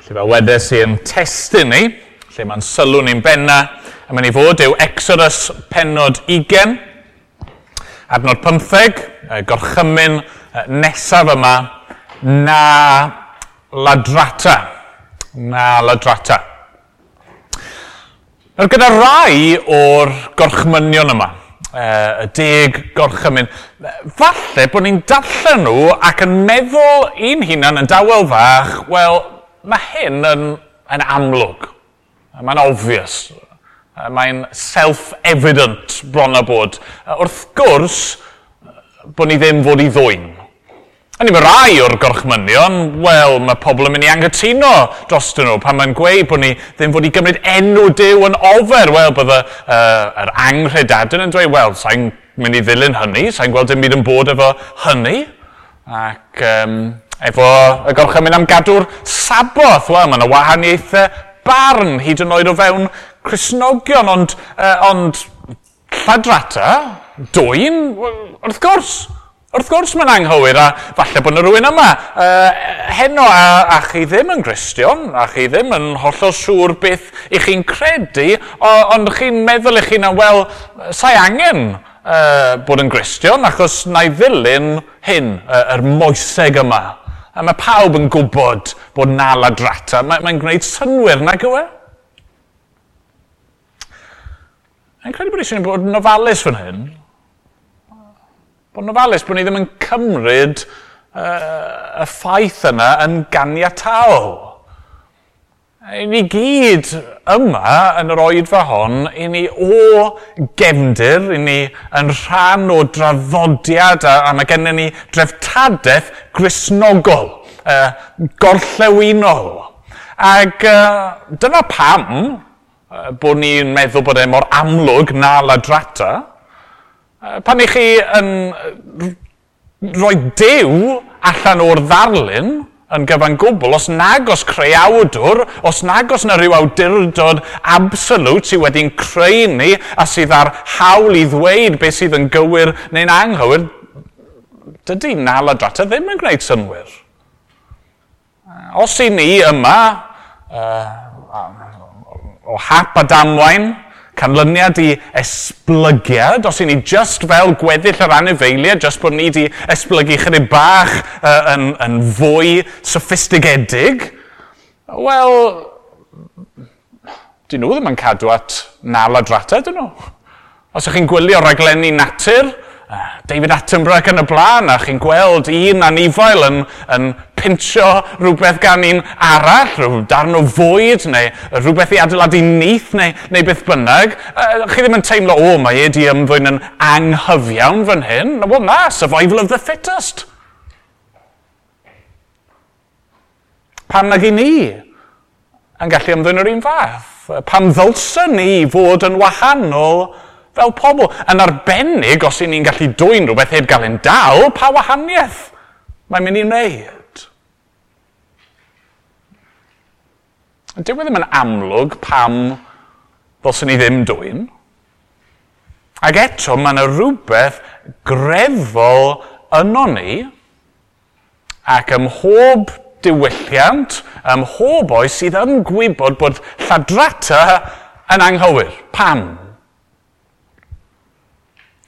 Felly fel wedes i yn testun ni, lle mae'n sylw ni'n benna, a mynd i fod yw Exodus pennod 20, adnod 15, gorchymyn nesaf yma, na ladrata. Na ladrata. Nawr gyda rai o'r gorchmynion yma, y 10 gorchymyn, falle bod ni'n darllen nhw ac yn meddwl i'n hunan yn dawel fach, wel, mae hyn yn amlwg. Mae'n obvious. Mae'n self-evident bron a bod. Wrth gwrs, bod ni ddim fod i ddwyn. A ni mae rai o'r gorchmynion, wel, mae pobl yn mynd i anghytuno drostyn nhw pan mae'n gweud bod ni ddim fod i gymryd enw Duw yn ofer. Wel, bydde yr anghredadun yn dweud, wel, sa'n mynd i ddilyn hynny, sa'n gweld dim byd yn bod efo hynny. Ac efo y gorchymyn am gadw'r Saboth, wel, mae yna wahaniaethau barn hyd yn oed o fewn Cristnogion, ond lladrata, dwyn, wrth gwrs. Wrth gwrs mae'n anghywir, a falle bod yna rhywun yma heno a chi ddim yn Gristion, a chi ddim yn hollol siŵr beth i chi'n credu, ond chi'n meddwl i chi na, wel, sa'i angen bod yn Gristion, achos na i ddilyn hyn, yr moeseg yma. A mae pawb yn gwybod bod na ladrata. Mae'n gwneud synnwyr, nag yw e? Mae'n credu bod eisiau bod yn ofalus fan hyn. Bod yn ofalus bod ni ddim yn cymryd y ffaith yna yn ganiataol. I ni gyd yma yn yr oedfa hon, i ni o gefndir, i ni yn rhan o draddodiad a mae gennym ni dreftadaeth Gristnogol, gorllewinol. Ac dyna pam bod ni'n meddwl bod e mor amlwg na ladrata. Pan i chi yn rhoi Duw allan o'r ddarlun yn gyfan gwbl, os nag os creawdwr, os nag os na rhyw awdurdod absolute sydd wedi'n creu ni a sydd â'r hawl i ddweud beth sydd yn gywir neu'n anghywir, dydy na ladrata ddim yn gwneud synnwyr. Os i ni yma, o hap a damwain, canlyniad i esblygiad, os i ni just fel gweddill yr anifeiliaid, just bod ni wedi esblygu chydig bach yn fwy soffistigedig, wel, dyn nhw ddim yn cadw at na ladrata, dyn nhw. Os ydych chi'n gwylio raglenni natur, David Attenborough ac yn y blaen, a chi'n gweld un anifail yn pincho rhywbeth gan un arall, rhyw darn o fwyd, neu rhywbeth i adeiladu nyth, neu beth bynnag, chi ddim yn teimlo, o, mae e di ymddwyn yn anghyfiawn fan hyn. Wel na, survival of the fittest. Pam nag i ni yn gallu ymddwyn yr un fath? Pam ddylsen ni fod yn wahanol fel pobl? Yn arbennig, os i ni'n gallu dwyn rhywbeth heb gael ein dal, pa wahaniaeth mae'n mynd i wneud? Dyw e ddim yn amlwg pam ddylsen ni ddim dwyn. Ac eto, mae yna rhywbeth greddfol yno ni, ac ym mhob diwylliant, ym mhob oes sydd yn gwybod bod lladrata yn anghywir. Pam?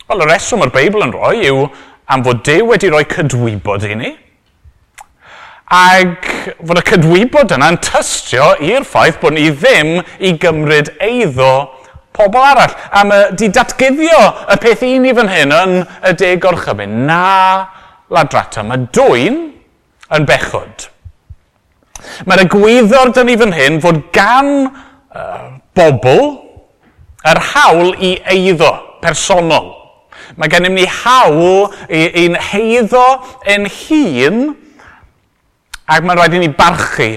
Wel, y reswm o'r Beibl yn rhoi yw am fod Duw wedi rhoi cydwybod i ni, ac fod y cydwybod yna'n tystio i'r ffaith bod ni ddim i gymryd eiddo pobl arall. A mae di datguddio y peth i ni fan hyn yn y 10 gorchymyn. Na ladrata. Mae dwyn yn bechod. Mae'r egwyddor dyn ni fan hyn fod gan bobl yr hawl i eiddo personol. Mae gennym ni hawl i'n heiddo ein hun, ac mae'n rhaid i ni barchu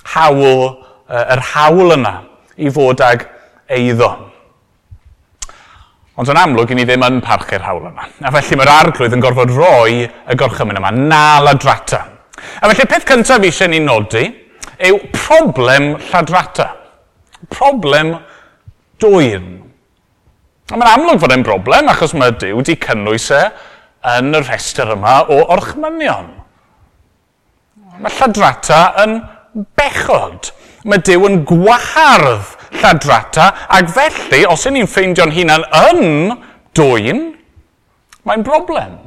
hawl, yr hawl yna i fod ag eiddo. Ond yn amlwg, i ni ddim yn parchu'r hawl yna. A felly mae'r arglwydd yn gorfod rhoi y gorchymyn yma, na ladrata. A felly peth cyntaf eisiau ni nodi yw problem lladrata. Problem dwyn. A mae'n amlwg fod e'n broblem, achos mae Duw wedi cynnwys e yn y rhestr yma o orchmynion. Mae lladrata yn bechod. Mae Duw yn gwahardd lladrata, ac felly, os y'n ni'n ffeindio'n hunan yn dwyn, mae'n broblem.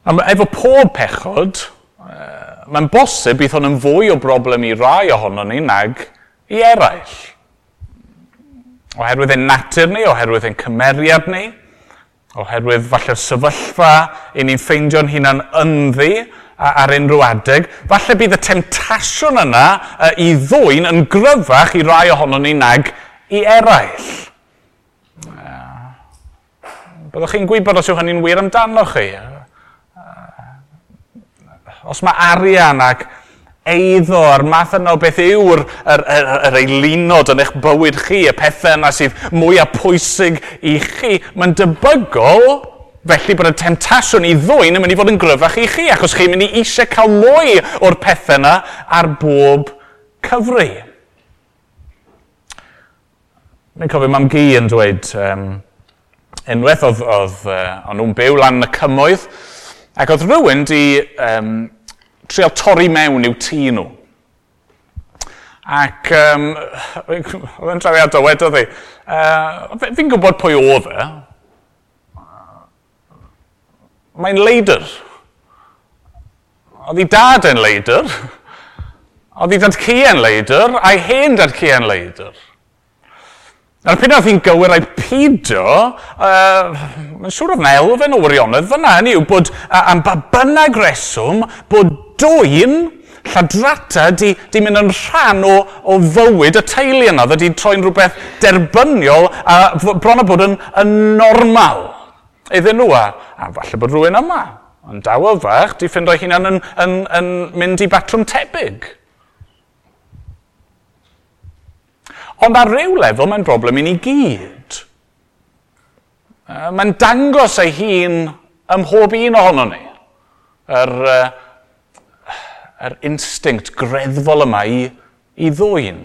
A efo pob pechod, mae'n bosib bydd hwn yn fwy o broblem i rai ohonon ni nag i eraill. Oherwydd ein natur ni, oherwydd ein cymeriad ni, oherwydd falle'r sefyllfa i ni'n ffeindio'n hunan ynddi ar unrhyw adeg, falle bydd y temtasiwn yna i ddwyn yn gryfach i rai ohonon ni nag i eraill. Byddwch chi'n gwybod os yw hynny'n wir amdano chi. Os mae arian ac eiddo a'r math yna o beth yw'r yr eilunod yn eich bywyd chi, y pethau yna sydd mwyaf pwysig i chi, mae'n debygol felly bod y temtasiwn i ddwyn yn mynd i fod yn gryfach i chi, achos chi'n mynd i eisiau cael mwy o'r pethau yna ar bob cyfri. Mi'n cofio mam-gu yn dweud, unwaith oedd o'n nhw'n byw lan yn y cymoedd, ac oedd rhywun di trial torri mewn i'w tŷ nhw. Ac oedd yn trawiadol, wedodd hi, fi'n gwybod pwy oedd e. Mae'n leidr. Oedd ei dad yn leidr. Oedd ei dad-cu yn leidr, a'i hen dad-cu yn leidr. Nawr, pryd oedd hi'n gywir a'i pido, mae'n siŵr oedd yna elfen o wirionedd fyna, hynny yw bod am ba bynnag reswm, bod dwyn lladrata di mynd yn rhan o fywyd y teulu yna, oedd wedi troi'n rhywbeth derbyniol a bron o bod yn normal iddyn nhw, a falle bod rhywun yma, yn dawel fach, di ffindo'i hunan yn mynd i batrwm tebyg. Ond ar ryw lefel, mae'n broblem i ni gyd. Mae'n dangos ei hun ym mhob un ohono ni. Yr instinct greddfol yma i ddwyn.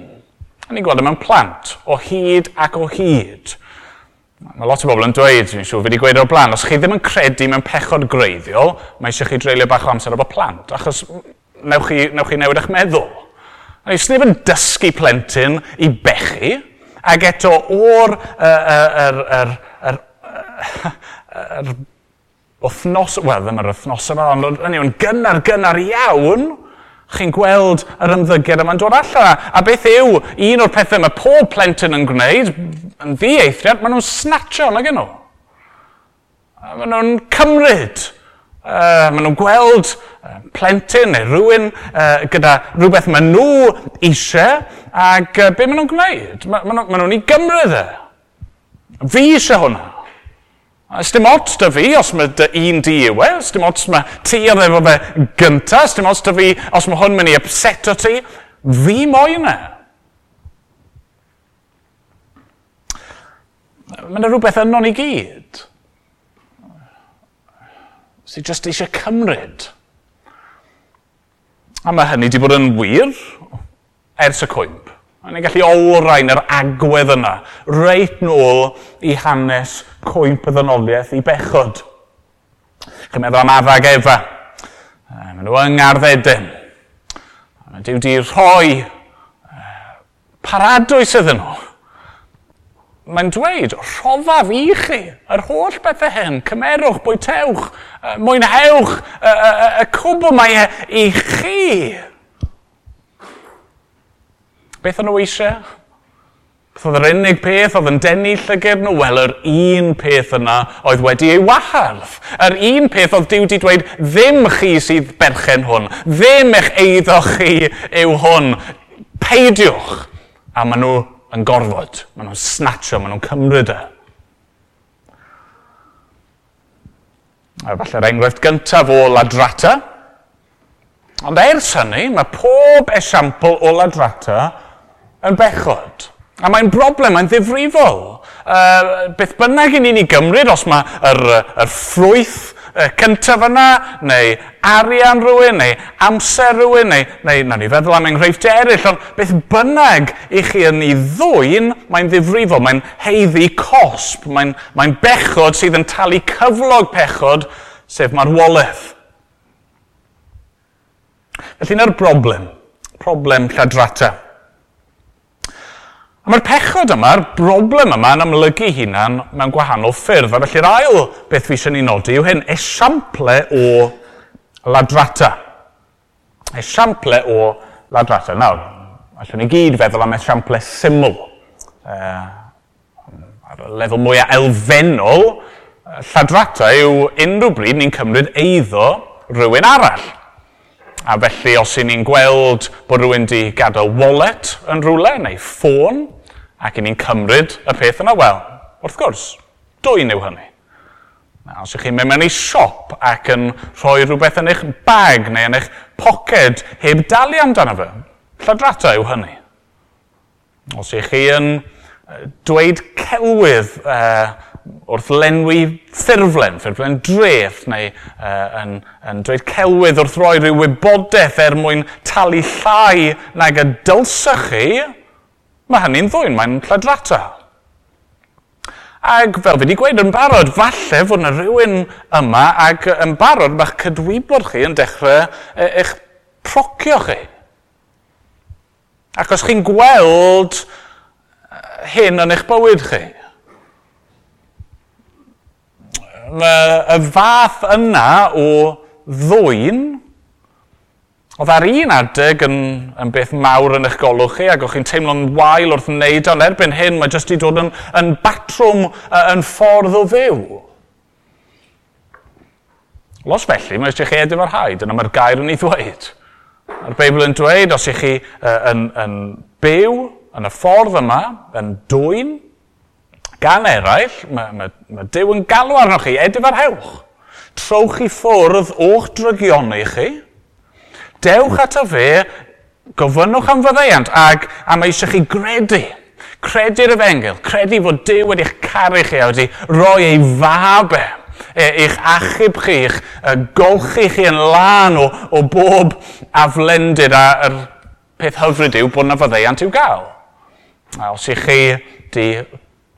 A ni'n gweld e mewn plant, o hyd ac o hyd. Mae lot o bobl yn dweud, dwi'n siŵr fi wedi gweud o'r blaen, os chi ddim yn credu mewn pechod greiddiol, mae eisiau chi dreulio bach o amser efo plant, achos newch chi newid eich meddwl. A sneb yn dysgu plentyn i bechu, ac eto o'r wythnos, wel ddim yr wythnos yma, ond yn gynnar iawn, chi'n gweld yr ymddygiad yma'n dod allan. A beth yw un o'r pethau mae pob plentyn yn gwneud, yn ddieithriad, maen nhw'n snatcho nag nhw. Maen nhw'n cymryd. Maen nhw'n gweld plentyn neu rhywun gyda rhywbeth maen nhw eisiau, ac be maen nhw'n gwneud? Maen nhw'n ei gymryd e. Fi eisiau hwnna. Dim ots da fi os mae dy un di yw e, dim ots mae ti oedd efo fe gynta, dim ots da fi os mae hwn mynd i upseto ti, fi moyn e. Mae yna rhywbeth yno ni gyd sydd jyst eisiau cymryd. A mae hynny wedi bod yn wir ers y cwymp. A ni'n gallu olrhain yr agwedd yna, reit nôl i hanes cwymp y ddynoliaeth i bechod. Chi'n meddwl am Adda ac Efa. Maen nhw yng Ngardd Eden. Mae Duw wedi rhoi paradwys iddyn nhw. Mae'n dweud, rhoddaf i chi yr holl bethau hyn, cymerwch, bwytewch, mwynhewch, y cwbl mae e i chi. Beth o'n nhw eisiau? Beth oedd yr unig peth oedd yn denu llygad nhw? Wel, yr un peth yna oedd wedi ei wahardd. Yr un peth oedd Duw wedi dweud, ddim chi sydd berchen hwn, ddim eich eiddo chi yw hwn. Peidiwch. A maen nhw yn gorfod, maen nhw'n snatcho, maen nhw'n cymryd e. A falle'r enghraifft gyntaf o ladrata. Ond ers hynny, mae pob esiampl o ladrata yn bechod. A mae'n broblem, mae'n ddifrifol. Beth bynnag i ni'n ei gymryd, os mae yr ffrwyth cyntaf yna, neu arian rhywun, neu amser rhywun, neu nawn ni feddwl am enghreifftiau eraill, ond beth bynnag i chi yn ei ddwyn, mae'n ddifrifol, mae'n haeddu cosb, mae'n bechod sydd yn talu cyflog pechod, sef marwolaeth. Felly yna'r broblem, problem lladrata. A mae'r pechod yma, yr broblem yma yn amlygu hunan mewn gwahanol ffyrdd. A felly'r ail beth fi eisiau ni nodi yw hyn, esiample o ladrata. Esiample o ladrata. Nawr, allwn ni gyd feddwl am esiample syml. Ar y lefel mwyaf elfennol, lladrata yw unrhyw bryd ni'n cymryd eiddo rhywun arall. A felly, os y'n ni'n gweld bod rhywun di gadael wallet yn rhywle, neu ffôn, ac y'n ni'n cymryd y peth yna, wel, wrth gwrs, dwyn yw hynny. Na, os ych chi'n mynd mewn i siop ac yn rhoi rhywbeth yn eich bag neu yn eich poced heb dalu amdano fe, lladrata yw hynny. Os ych chi yn dweud celwydd wrth lenwi ffurflen, ffurflen dreth, neu yn dweud celwydd wrth roi rhyw wybodaeth er mwyn talu llai nag y dylsech chi, mae hynny'n ddwyn, mae'n lladrata. Ac fel fi wedi gweud yn barod, falle fod yna rhywun yma ac yn barod mae'ch cydwybod chi yn dechrau eich procio chi. Ac os chi'n gweld hyn yn eich bywyd chi, mae y fath yna o ddwyn, oedd ar un adeg yn beth mawr yn eich golwg chi, ac o'ch chi'n teimlo'n wael wrth wneud, ond erbyn hyn mae jyst wedi dod yn batrwm, yn ffordd o fyw. Los felly, mae eisiau chi edifarhau, dyna mae'r gair yn ei ddweud. Mae'r Beibl yn dweud, os ych chi yn byw yn y ffordd yma, yn dwyn, gan eraill, mae Duw yn galw arnoch chi, edifarhewch. Trowch i ffwrdd o'ch drygioni chi, dewch ato fe, gofynnwch am faddeuant, ac a mae eisiau chi gredu. Credu'r efengyl, credu fod Duw wedi'ch caru chi a wedi rhoi ei fab e, eich achub chi, eich golchi chi yn lân o bob aflendid, a'r peth hyfryd yw bod yna faddeuant i'w gael. A os ych chi di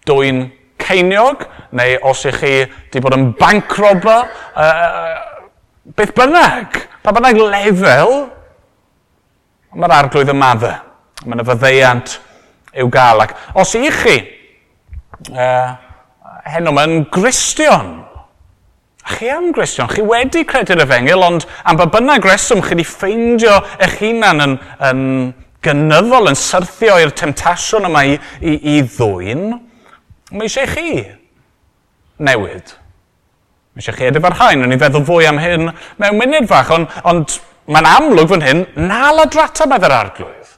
dwyn ceiniog, neu os ych chi di bod yn bank robber, beth bynnag, pa bynnag lefel, mae'r arglwydd yn maddau. Mae yna faddeuant i'w gael. Ac os ych chi, heno mae'n Gristion, a chi am Gristion, chi wedi credu'r efengyl, ond am ba bynnag reswm chi wedi ffeindio eich hunan yn gynyddol, yn syrthio i'r temtasiwn yma i ddwyn, mae eisiau chi newid. Mae eisiau chi edifarhau. Nawn ni feddwl fwy am hyn mewn munud fach, ond mae'n amlwg fan hyn, na ladrata medd yr arglwydd.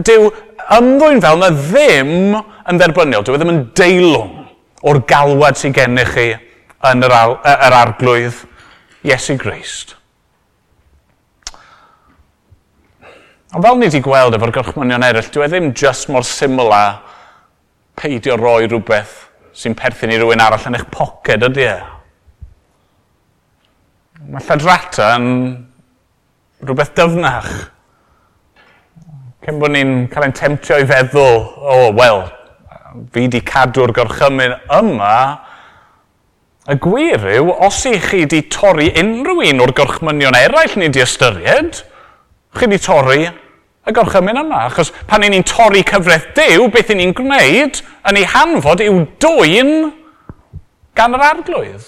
Dyw ymddwyn fel na ddim yn dderbyniol, dyw e ddim yn deilwng o'r galwad sydd gennych chi yn yr arglwydd Iesu Grist. Ond fel ni wedi gweld efo'r gorchmynion eraill, dyw e ddim just mor syml â peidio roi rhywbeth sy'n perthyn i rywun arall yn eich poced, ydy e? Mae lladrata yn rhywbeth dyfnach. Cyn bod ni'n cael ein temtio i feddwl, o, wel, fi di cadw'r gorchymyn yma, y gwir yw, os i chi di torri unrhyw un o'r gorchmynion eraill ni di ystyried, chi di torri y gorchymyn yma. Achos pan ni'n torri cyfraith Duw, beth ni'n gwneud yn ei hanfod yw dwyn gan yr arglwydd.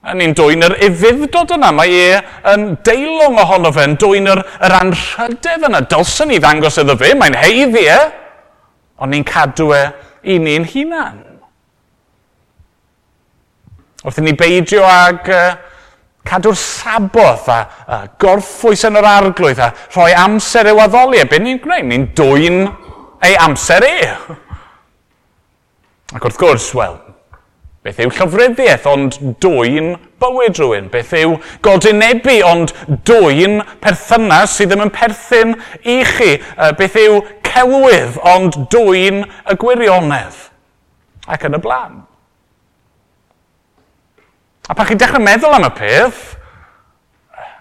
A ni'n dwyn yr ufudd-dod yna, mae e yn deilwng ohono fe, yn dwyn yr anrhydedd yna. Dylsen ni ddangos iddo fe, mae'n haeddu e, ond ni'n cadw e i ni'n hunan. Wrth i ni beidio ag cadw'r Saboth a gorffwys yn yr arglwydd a rhoi amser i'w addoli, a beth ni'n gwneud? Ni'n dwyn ei amser e. Ac wrth gwrs, wel, beth yw llofruddiaeth ond dwyn bywyd rhywun? Beth yw godinebu ond dwyn perthynas sydd ddim yn perthyn i chi? Beth yw celwydd ond dwyn y gwirionedd? Ac yn y blaen. A pan chi'n dechrau meddwl am y peth,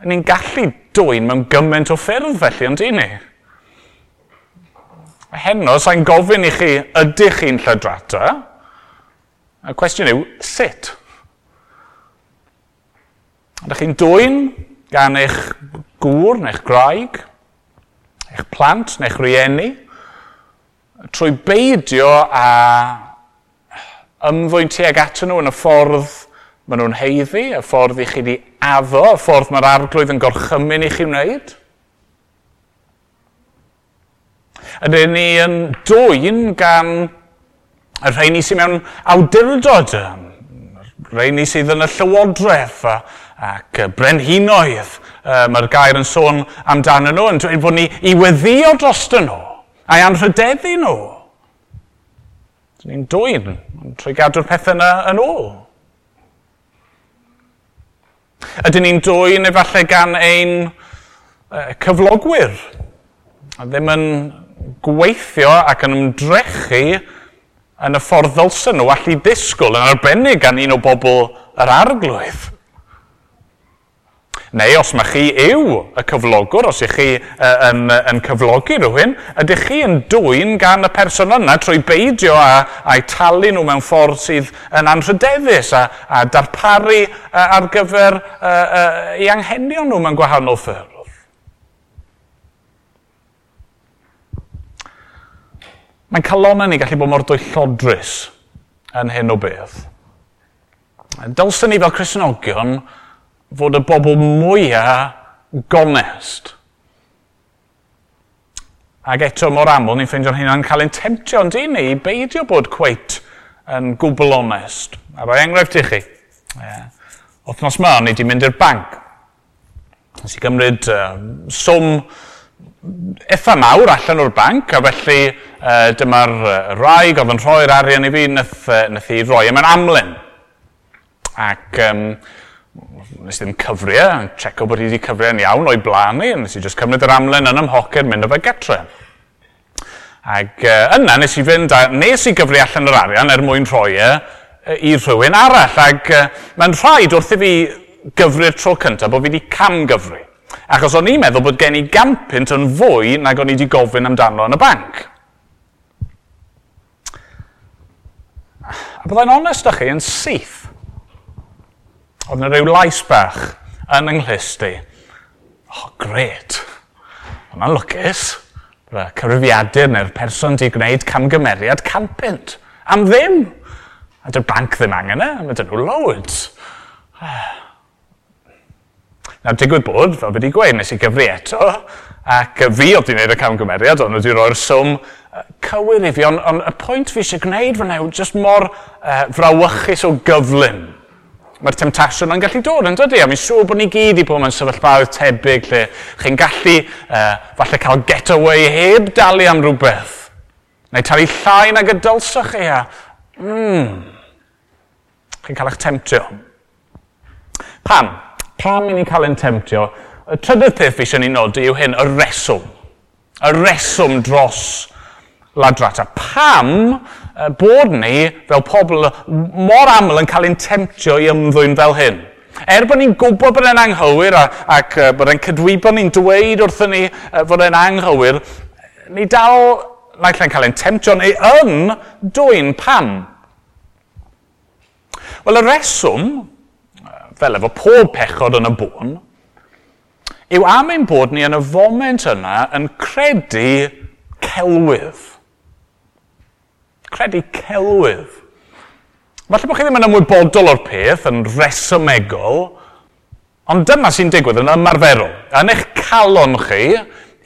ni'n gallu dwyn mewn gymaint o ffyrdd felly, ond i ni? Heno, sa'n gofyn i chi, ydych chi'n lladrata? Y cwestiwn yw, sut? Ydych chi'n dwyn gan eich gŵr neu'ch gwraig, eich plant neu'ch rieni, trwy beidio a ymddwyn tuag atyn nhw yn y ffordd maen nhw'n haeddu, y ffordd i chi wedi addo, y ffordd mae'r Arglwydd yn gorchymyn i chi wneud? Ydyn ni yn dwyn gan y rheini sydd mewn awdurdod, y rheini sydd yn y llywodraeth ac brenhinoedd, mae'r gair yn sôn amdanyn nhw, yn dweud bod ni i weddïo drostyn nhw, a'i anrhydeddu nhw. Dyn ni'n dwyn trwy gadw'r pethau yna yn ôl. Ydyn ni'n dwyn efallai gan ein cyflogwyr, a ddim yn gweithio ac yn ymdrechu yn y ffordd ddylsen nhw allu disgwyl, yn arbennig gan un o bobl yr Arglwydd. Neu os mae chi yw y cyflogwr, os ych chi yn cyflogi rhywun, ydych chi yn dwyn gan y person yna trwy beidio a'u talu nhw mewn ffordd sydd yn anrhydeddus a darparu ar gyfer eu anghenion nhw mewn gwahanol ffyrdd. Mae'n calonnau ni gallu bod mor dwyllodrus yn hyn o beth. Dylsen ni fel Cristnogion fod y bobl mwyaf gonest. Ac eto mor aml ni'n ffeindio'n hunan cael ein temtio yn dyn ni i beidio bod cweit yn gwbl onest. A rhoi enghraifft i chi. Wythnos yma, o'n i wedi mynd i'r banc. Nes i gymryd swm eitha mawr allan o'r banc, a felly dyma'r wraig oedd yn rhoi'r arian i fi, nath i roi e mewn amlen. Ac nes i ddim cyfri e, checo bod hi wedi cyfri e'n iawn o'i blaen i, nes i just cymryd yr amlen yn 'y mhoced, mynd o fe getre. Ac yna nes i fynd a nes i gyfri allan yr arian er mwyn rhoi e i rhywun arall. Ac mae'n rhaid wrth i fi gyfri'r tro cyntaf bod fi wedi camgyfri. Achos o'n i'n meddwl bod gen i 100 punt yn fwy nag o'n i wedi gofyn amdano yn y banc. A byddai'n onest â chi yn syth. Oedd yna rhyw lais bach yn 'y nghlust i. Oh, grêt. Hwnna'n lwcus. Bydd y cyfrifiadur neu'r person di gwneud camgymeriad 100 punt. Am ddim. A dy'r banc ddim angen e. Mae dyn nhw loads. Nawr, digwydd bod, fel fi wedi gweud, nes i gyfri eto, ac fi oedd wedi gwneud y camgymeriad, ond wedi rhoi'r swm cywir i fi, ond y pwynt fi eisiau gwneud fan yw jyst mor frawychus o gyflym. Mae'r temtasiwn yn gallu dod, yn dydy? A mi'n siŵr bod ni gyd i bod mewn sefyllfaoedd tebyg lle chi'n gallu falle cael getaway heb dalu am rhywbeth. Neu talu llai nag y dylsach chi a... Chi'n cael eich temtio. Pam? Pam i ni'n cael ein temtio? Y trydydd peth fi eisiau ni nodi yw hyn, y reswm. Y reswm dros ladrata. Pam bod ni, fel pobl, mor aml yn cael ein temtio i ymddwyn fel hyn? Er bod ni'n gwybod bod e'n anghywir ac bod e'n cydwybod ni'n dweud wrthyn ni fod e'n anghywir, ni dal naill ai'n cael ein temtio neu yn dwyn. Pam? Wel, y reswm, fel efo pob pechod yn y bôn, yw am ein bod ni yn y foment yna yn credu celwydd. Credu celwydd. Falle bod chi ddim yn ymwybodol o'r peth, yn resymegol, ond dyma sy'n digwydd yn ymarferol. Yn eich calon chi,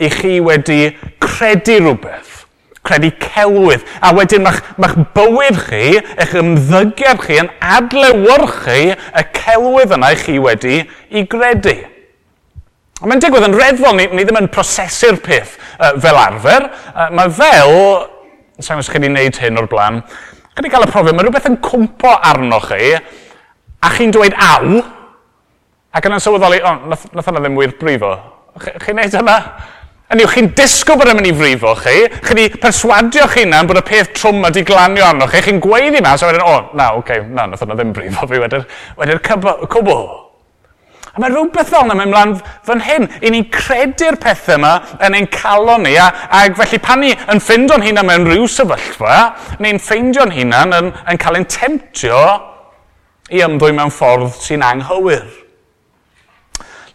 i chi wedi credu rhywbeth. Credu celwydd. A wedyn mae'ch bywyd chi, eich ymddygiad chi yn adlewyrchu y celwydd yna i chi wedi i gredu. A mae'n digwydd yn reddfol, ni ddim yn prosesu'r peth fel arfer. Mae fel, sa'n os chi wedi gwneud hyn o'r blaen, chi wedi cael y profiad, mae rhywbeth yn cwmpo arnoch chi, a chi'n dweud aw, ac yna'n sylweddoli, o, nath hwnna ddim wir brifo. Chi'n gwneud hynna? Hynny yw, chi'n disgwyl bod e'n mynd i frifo chi, chi wedi perswadio chi hunan bod y peth trwm wedi glanio arnoch chi, chi'n gweiddi mas, a wedyn, o, na, oce, na, nath hwnna ddim brifo fi wedi'r cwbl. A mae rhywbeth fel yna mynd mlaen fan hyn. I ni'n credu'r pethau yma yn ein calon ni, ac felly pan ni yn ffeindio'n hunan mewn rhyw sefyllfa, ni'n ffeindio'n hunan yn cael ein temtio i ymddwyn mewn ffordd sy'n anghywir.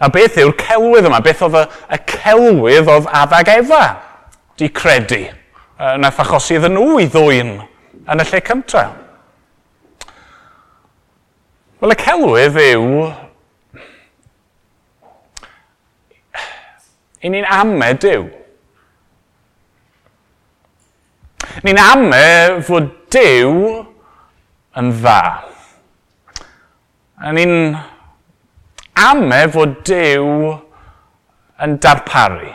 A beth yw'r celwydd yma? Beth oedd y celwydd oedd Adda ag Efa di credu? Nath achosi iddyn nhw i ddwyn yn y lle cyntaf. Wel, y celwydd yw i ni'n ame Duw. Ni'n ame fod Duw yn dda. A ni'n ame fod Duw yn darparu.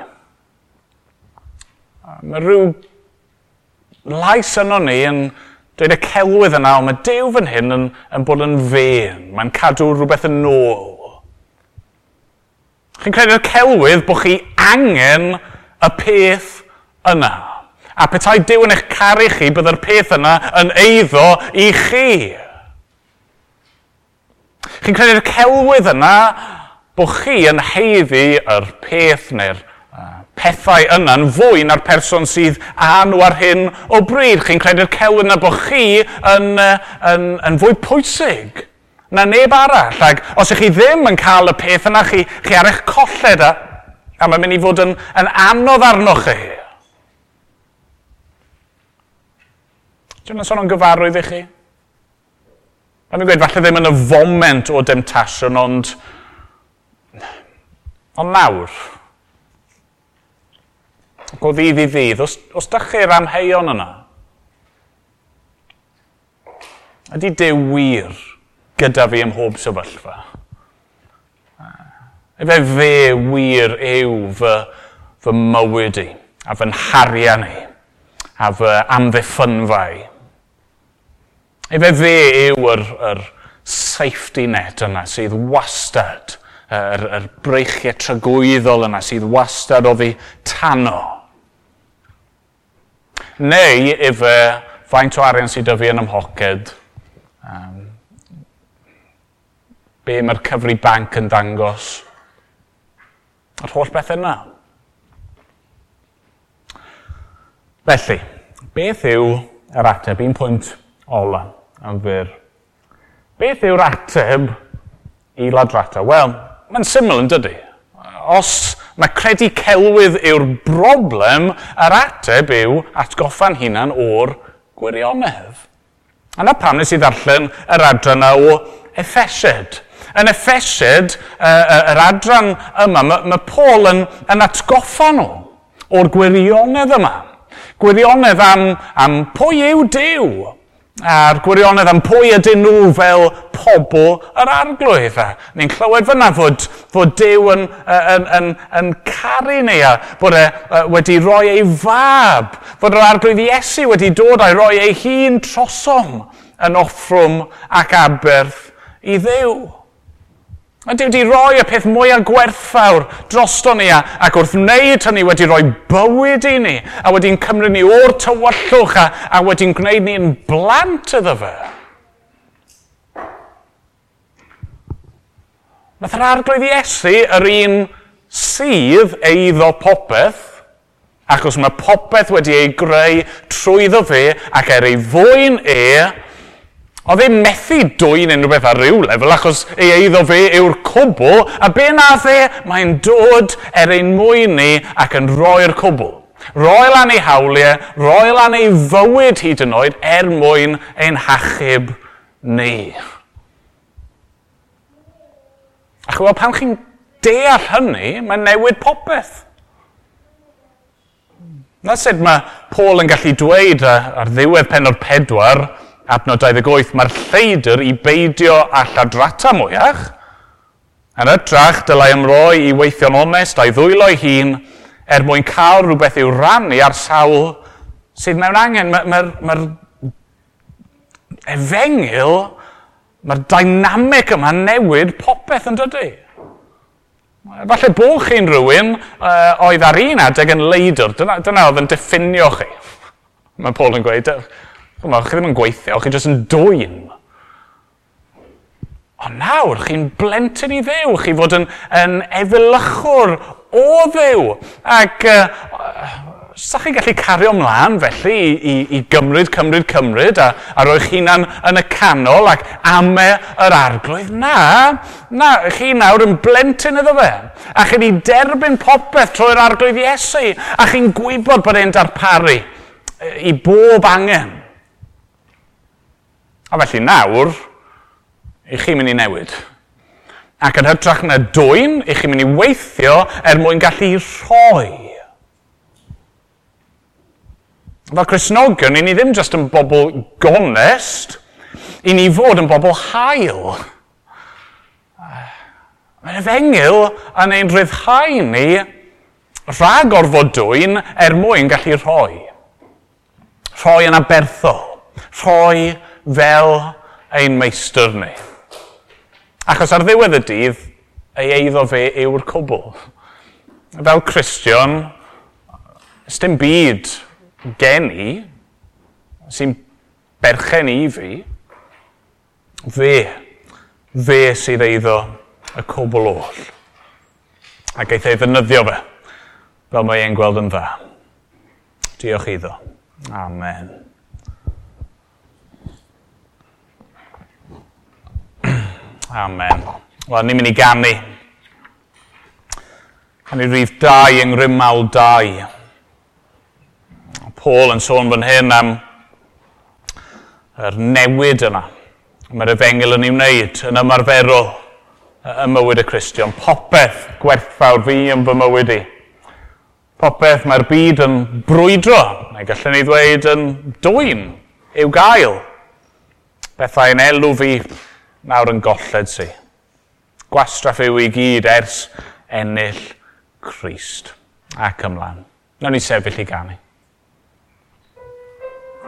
Mae rhyw lais yno ni yn dweud y celwydd yna, ond mae Duw fan hyn yn bod yn fên. Mae'n cadw rhywbeth yn ôl. Chi'n credu'r celwydd bod chi angen y peth yna. A petai Duw yn eich caru chi, byddai'r peth yna yn eiddo i chi. Chi'n credu'r celwydd yna bod chi yn haeddu yr peth neu'r pethau yna'n fwy na'r person sydd â nhw ar hyn o bryd. Chi'n credu'r celwydd yna bod chi yn fwy pwysig na neb arall. Ac os ych chi ddim yn cael y peth yna, chi ar eich colled a mae'n mynd i fod yn anodd arnoch chi. Dwi'n sôn o'n gyfarwydd i chi? Mae'n gweud, falle ddim yn y foment o demtasiwn, ond nawr, ac o ddydd i ddydd, os dach chi'r amheuon yna, ydy Duw wir gyda fi ym mhob sefyllfa? Efe fe wir yw fy mywyd i, a fy nharian i, a fy amddiffynfa i. Efe fe yw yr safety net yna sydd wastad, yr breichiau tragwyddol yna sydd wastad oddi tano. Neu efe faint o arian sydd 'da fi yn 'y mhoced, be mae'r cyfri banc yn dangos, yr holl beth yna. Felly, beth yw yr ateb? Un pwynt ola am fyr. Beth yw'r ateb i ladrata? Wel, mae'n syml yn dydy. Os mae credu celwydd yw'r broblem, yr ateb yw atgoffa'n hunan o'r gwirionedd. A na pam nes i ddarllen yr adran yna o Effesiaid. Yn Effesiaid, yr adran yma, mae Paul yn atgoffa nhw o'r gwirionedd yma. Gwirionedd am pwy yw Duw, a'r gwirionedd am pwy ydyn nhw fel pobl yr Arglwydd. A ni'n clywed fyna fod Duw yn caru ni, a bod e wedi rhoi ei fab, fod yr Arglwydd Iesu wedi dod a'i roi ei hun trosom yn offrwm ac aberth i Dduw. Mae Duw wedi rhoi y peth mwyaf gwerthfawr drosto ni, ac wrth wneud hynny wedi rhoi bywyd i ni, a wedi'n cymryd ni o'r tywyllwch, a wedi'n gwneud ni'n blant iddo fe. Nath yr Arglwydd Iesu, yr un sydd eiddo popeth, achos mae popeth wedi ei greu trwyddo fe ac er ei fwyn e, oedd e'n methu dwyn unrhyw beth ar ryw lefel, achos ei eiddo fe yw'r cwbl, a be nath e? Mae'n dod er ein mwyn ni ac yn rhoi'r cwbl. Roi lan ei hawliau, roi lan ei fywyd hyd yn oed er mwyn ein hachub ni. A ch'mod, pan chi'n deall hynny, mae'n newid popeth. Na sut mae Paul yn gallu dweud ar ddiwedd pennod 4, adnod 28, mae'r lleidr i beidio â lladrata mwyach. Yn hytrach, dylai ymroi i weithio'n onest a'i ddwylo ei hun er mwyn cael rhywbeth i'w rannu ar sawl sydd mewn angen. Mae'r efengyl, mae'r dynamic yma newid popeth yn dydy. Falle bod chi'n rhywun oedd ar un adeg yn leidr. Dyna oedd yn diffinio chi. Mae Paul yn gweud, chi ddim yn gweithio, chi jyst yn dwyn. Ond nawr, chi'n blentyn i Dduw, chi fod yn efelychwr o Dduw. Ac Sa chi'n gallu cario ymlaen felly i gymryd, cymryd, cymryd a roi'ch hunan yn y canol ac ame yr arglwydd? Na, chi nawr yn blentyn iddo fe. A chi wedi derbyn popeth trwy'r arglwydd Iesu. A chi'n gwybod bod e'n darparu i bob angen. A felly nawr, i chi'n mynd i newid. Ac yn hytrach na dwyn, i chi'n mynd i weithio er mwyn gallu rhoi. Fel Cristnogion, i ni ddim jyst yn bobl gonest, i ni fod yn bobl hael. Mae'r efengyl yn ein rhyddhau ni rhag orfod dwyn er mwyn gallu rhoi. Rhoi yn aberthol. Rhoi fel ein meistr ni. Achos ar ddiwedd y dydd, ei eiddo fe yw'r cwbl. Fel Cristion, dim byd gen i, sy'n berchen i fi, fe sydd eiddo y cwbl oll. A geith ei ddefnyddio fe, fel mae e'n gweld yn dda. Diolch iddo. Amen. Amen. Wel, ni'n mynd i ganu. Canu rhif 2 yng Ngrymawl 2. Paul yn sôn fan hyn am yr newid yna. Mae'r efengyl yn ei wneud yn ymarferol ym mywyd y Cristion. Popeth gwerthfawr fi yn fy mywyd i. Popeth mae'r byd yn brwydro, neu gallwn ni ddweud yn dwyn i'w gael. Bethau yn elw fi nawr yn golled si. Gwastraff yw i gyd ers ennill Crist. Ac ymlaen. Nawn ni sefyll i ganu.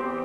Bye.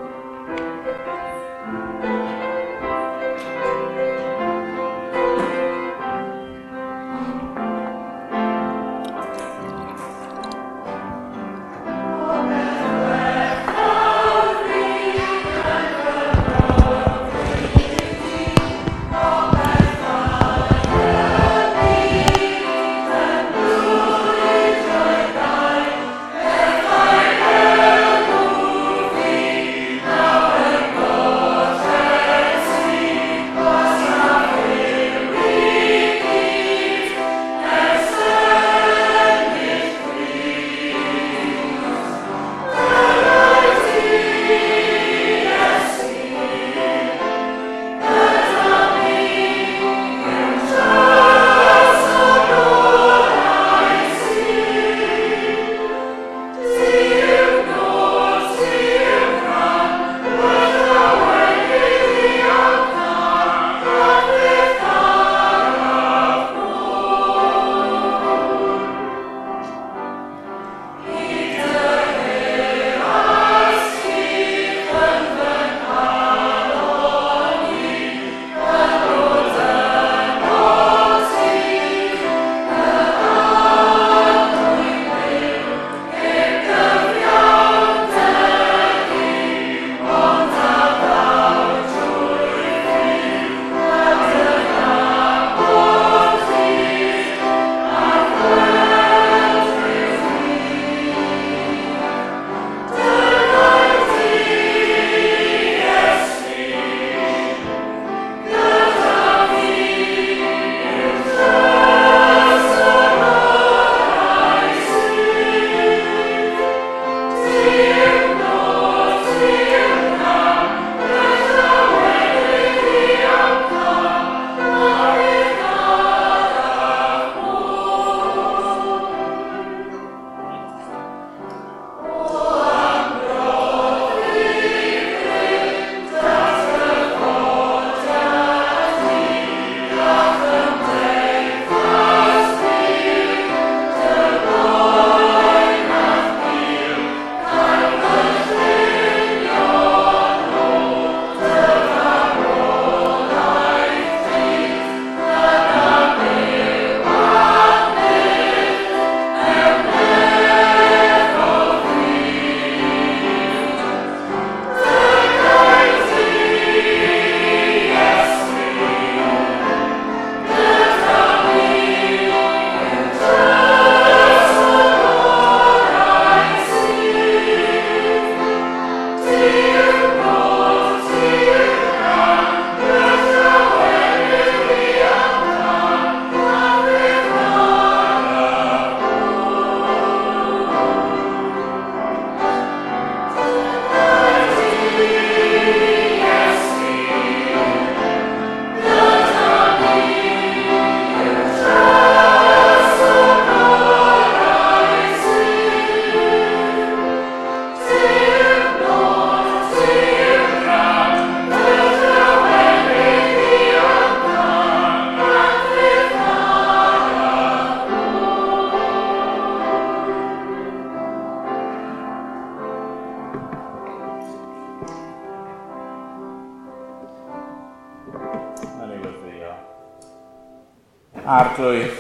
Arglwydd,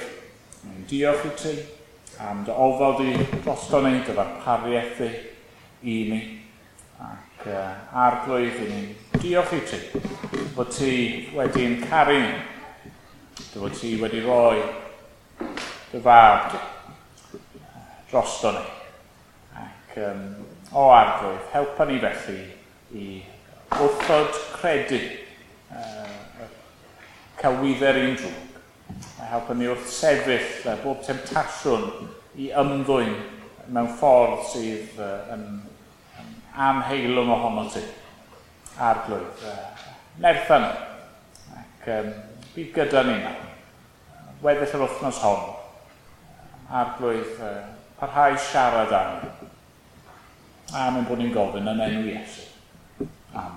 ni'n diolch i ti am dy ofal di drosto ni, dy ddarpariaeth di i ni. Ac Arglwydd, i ni'n diolch i ti fod ti wedi'n caru ni, dy fod ti wedi rhoi dy fab di drosto ni. Ac o Arglwydd, helpa ni felly i wrthod credu celwydde'r un drwg. A helpa ni wrth sefyll bob temtasiwn i ymddwyn mewn ffordd sydd yn anheilwng ohono ti. Arglwydd, nertha ni. Ac bydd gyda ni nawr. Weddill yr wythnos hon. Arglwydd, parhau siarad â ni. Amen bod ni'n gofyn yn enw Iesu. Amen.